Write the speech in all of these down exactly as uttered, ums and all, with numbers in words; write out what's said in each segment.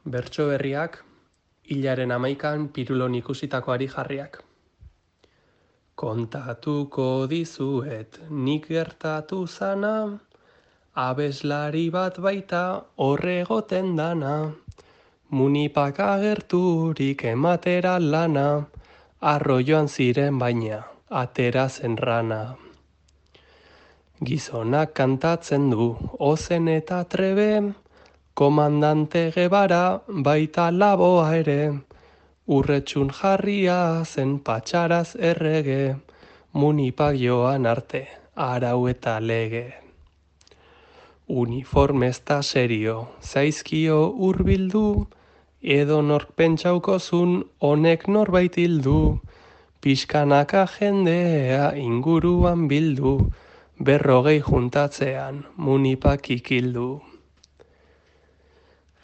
Bertso berriak, hilaren hamaikan Pirulon ikusitakoari jarriak. Kontatuko dizuet nik gertatu zana, abeslari bat baita horregoten dana, munipak agerturik ematera lana, arroioan ziren baina, atera zen rana. Gizonak kantatzen du, ozen eta trebe, komandante Gebara baita laboa ere, urretxun jarria zen patxaraz errege, munipak joan arte, arau eta lege. Uniformesta serio, zaizkio hurbildu, edo nork pentsaukozun honek norbait hildu, pixkanaka jendea inguruan bildu, berrogei juntatzean munipak ikildu.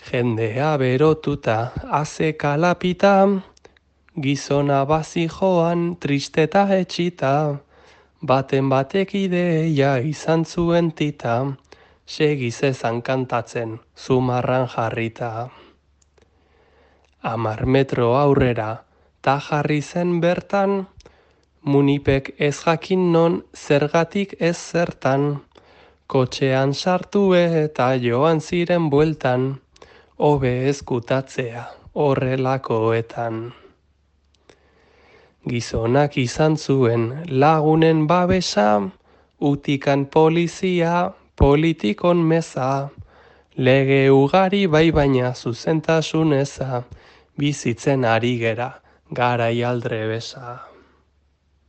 Jendea berotuta, aze kalapita, gizona bazi joan tristeta etxita, baten batek ideia izan zuen tita, segiz ezan kantatzen zumarran jarrita. Amar metro aurrera, ta jarri zen bertan, munipek ez jakin non zergatik ez zertan, kotxean sartu eta joan ziren bueltan, hobe ezkutatzea horrelakoetan. Gizonak izan zuen lagunen babesa, utikan polizia, politikon meza, lege ugari bai baina zuzentasun eza, bizitzen ari gera, garai aldrebesa.